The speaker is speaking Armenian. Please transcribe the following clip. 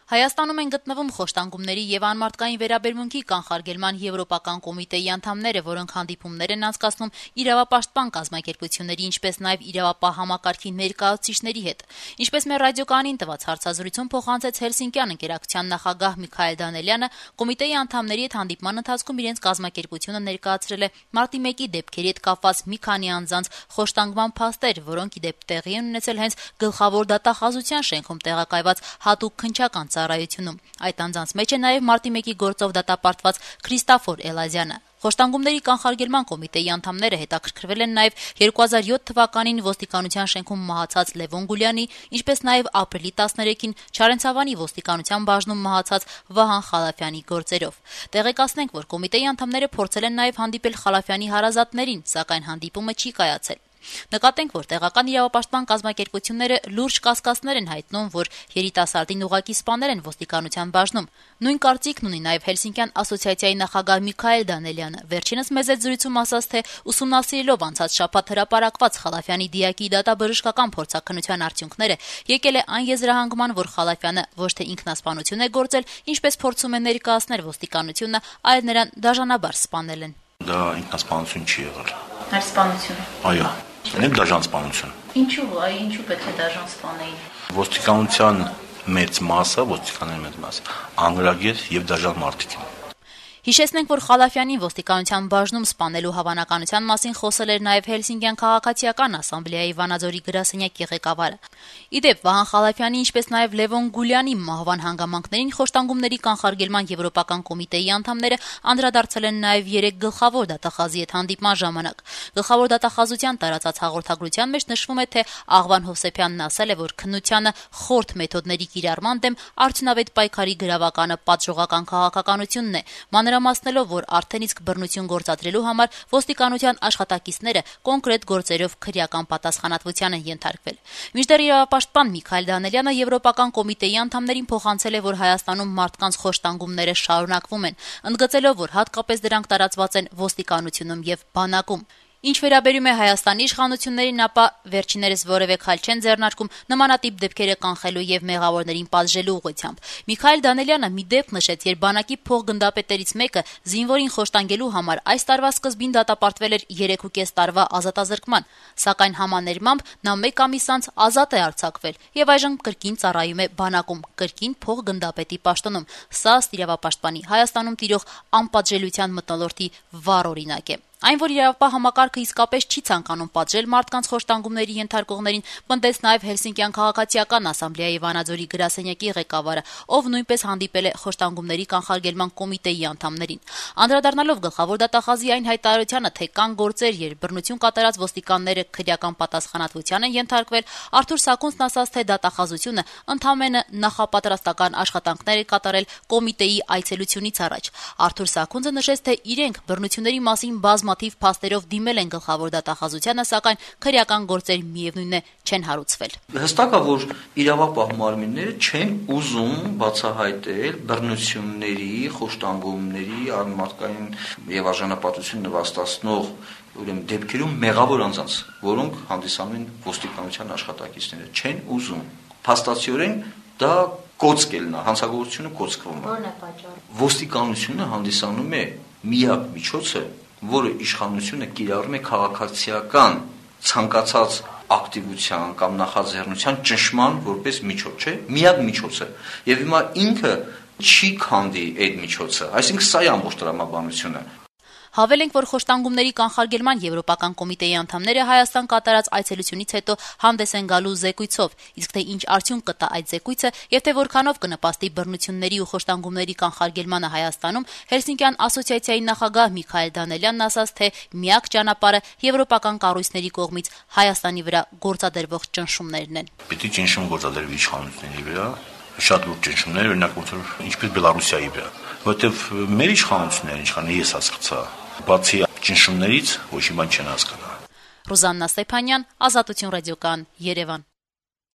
Հայաստանում են գտնվում խոշտանգումների եւ անմարդկային վերաբերմունքի կանխարգելման եվրոպական կոմիտեի անդամները, որոնք հանդիպումներ են անցկացնում իրավապաշտպան կազմակերպությունների, ինչպես նաեւ իրավապահ համակարգի ներկայացուցիչների հետ։ Ինչպես մեր ռադիոկանին տված հարցազրույցում փոխանցեց Հելսինկյան ընկերակցության նախագահ Միքայել Դանելյանը, կոմիտեի անդամների հետ հանդիպման ընթացքում իրենց կազմակերպությունը ներկայացրել է մարտի 1-ի դեպքերի հետ կապված մի քանի անձանց խոշտանգման փաստեր, որոնք ի դեպ տեղի են ունեցել հենց գլխավոր դատախազության շենքում տեղակայված հատուկ քննչական ծառայությունում։ Այդ անձանց մեջ է նաև մարտի 1-ի գործով դատապարտված Քրիստաֆոր Էլազյանը։ Խոշտանգումների կանխարգելման կոմիտեի անդամները հետաքրքրվել են նաև 2007 թվականին ոստիկանության շենքում մահացած Լևոն Գուլյանի, ինչպես նաև ապրիլի 13-ին Չարենցավանի ոստիկանության բաժնում մահացած Վահան Խալափյանի գործերով։ Տեղեկացնենք, որ կոմիտեի անդամները փորձել են նաև հանդիպել Խալափյանի հարազատներին, սակայն հանդիպումը չի կայացել։ Նկատենք, որ տեղական իրավապաշտպան կազմակերպությունները լուրջ կասկածներ են հայտնում, որ երիտասարդին ուղղակի սպանել են ոստիկանության բաժնում։ Նույն կարծիքն ունի նաև Հելսինկյան ասոցիացիայի նախագահ Միքայել Դանելյանը։ Վերջինս մեծ զրույցում ասաց, թե ուսումնասիրելով անցած շաբաթ հրապարակված Խալափյանի դիակի դատաբժշկական փորձաքննության արդյունքները, եկել է այն եզրահանգման, որ Խալափյանը ոչ թե ինքնասպանություն է գործել, ինչպես փորձում է ներկայացնել ոստիկանությունը, այլ նրան դաժանաբար սպանել են։ Դա ինքնասպանություն չի եղել։ Հարսպանություն։ Այո, ինքն դաժան սպանություն։ Ինչու պետք է դաժան սպանեին։ Ոստիկանության մեծ մասը անգրագետ եւ դաժան մարդիկ են։ Հիշեցնենք, որ Խալափյանին ոստիկանության բաժնում սպանելու հավանականության մասին խոսել էր նաև Հելսինկյան քաղաքացիական ասամբլեայի Վանաձորի գրասենյակի ղեկավարը։ Ի դեպ, Վահան Խալափյանի, ինչպես նաև Լևոն Գուլյանի մահվան հանգամանքներին խոշտանգումների կանխարգելման եվրոպական կոմիտեի անդամները անդրադարձել են նաև 3 գլխավոր դատախազի հետ հանդիպման ժամանակ։ Գլխավոր դատախազության տարածած հաղորդագրության մեջ նշվում է, թե Աղվան Հովսեփյանն ասել է, որ քննությանը խորտ մեթոդների կիրառման դեմ արդյունավետ պայքարի գրավականը պատժողական քաղաքականությունն է, մանրամասնելով, որ արդեն իսկ բռնություն գործադրելու համար ոստիկանության աշխատակիցները կոնկրետ գործերով քրեական պատասխանատվության են ենթարկվել։ Մինչդեռ իրավապաշտպան Միքայել Դանելյանը եվրոպական կոմիտեի անդամներին փոխանցել է, որ Հայաստանում մարդկանց խոշտանգումները շարունակվում են, ընդգծելով, որ հատկապես դրանք տարածված են ոստիկանությունում եւ բանակում։ Ինչ վերաբերում է Հայաստանի իշխանություններին, ապա վերջիներս որևէ քայլ չեն ձեռնարկում նմանատիպ դեպքերը կանխելու եւ մեղավորներին պատժելու ուղղությամբ։ Միքայել Դանելյանը մի դեպք նշեց, երբ բանակի փոխգնդապետերից մեկը զինվորին խոշտանգելու համար այս տարվա սկզբին դատապարտվել էր 3.5 տարվա ազատազրկման, սակայն համաներմամբ նա 1 ամիս անց ազատ է արձակվել եւ այժմ կրկին ծառայում է բանակում, կրկին փոխգնդապետի պաշտոնում։ Սա ըստ իրավապաշտպանի Հայաստանում տիրող անպատժելիության մթնոլորտի վառ օրինակ է։ Այն, որ իրավապահ համակարգը իսկապես չի ցանկանում պատժել մարդկանց խոշտանգումների ենթարկողներին, պնդեց նաև Հելսինկյան քաղաքացիական ասամբլեայի Վանաձորի գրասենյակի ղեկավարը, ով նույնպես հանդիպել է խոշտանգումների կանխարգելման կոմիտեի անդամներին։ Անդրադառնալով գլխավոր դատախազի այն հայտարարությանը, թե կան գործեր, երբ բռնություն կատարած ոստիկանները քրեական պատասխանատվության են ենթարկվել, Արթուր Սաքունցն ասաց, թե դատախազությունը ընդամենը նախապատրաստական աշխատանքներ է կատարել կոմիտեի այցելությունից առաջ։ Արթուր Սաքունցը նշեց, թե իրենք բռնությունների մասին բազմաթիվ փաստերով դիմել են գլխավոր դատախազությանը, սակայն քրեական գործեր միևնույն է չեն հարուցվել։ Հստակ է, որ իրավապահ մարմինները չեն ուզում բացահայտել բռնությունների, խոշտանգումների, անմարդկային եւ արժանապատվություն նվաստացնող դեպքերում մեղավոր անձանց, որոնք հանդիսանում են ոստիկանության աշխատակիցները, չեն ուզում։ Փաստացիորեն դա կոծկ է լնա, հանցագործությունը կոծկվում է։ Որն է պատճառը։ Ոստիկանությունը հանդիսանում է միակ միջոցը, որը իշխանությունը կիրառում է քաղաքացիական ցանկացած ակտիվության կամ նախաձեռնության ճնշման որպես միջոց, չէ՞, միակ միջոցը։ Եվ հիմա ինքը չի քանդի այդ միջոցը, այսինքն սա է ամբողջ տրամաբանությունը։ Հավելենք, որ խոշտանգումների կանխարգելման եվրոպական կոմիտեի անդամները Հայաստան կատարած այցելությունից հետո հանդես են գալու զեկույցով, իսկ թե ինչ արդյունք կտա այդ զեկույցը եւ թե որքանով կնպաստի բռնությունների ու խոշտանգումների կանխարգելմանը Հայաստանում, Հելսինկյան ասոցիացիայի նախագահ Միքայել Դանելյանն ասաց, թե միակ ճանապարհը եվրոպական կառույցների կողմից Հայաստանի վրա գործադրվող ճնշումներն են։ Պիտի ճնշում գործադրվի իշխանությունների վրա, շատ լուրջ ճնշումներ, օրինակ ինչպես Բելարուսիայի վրա, որովհետեւ մեր իշխանությունները, ինչքան ես հասկացա, բացի ճնշումներից ոչ մի բան չեն հասկանա։ Ռուզաննա Ստեփանյան, Ազատություն ռադիոկայան, Երևան։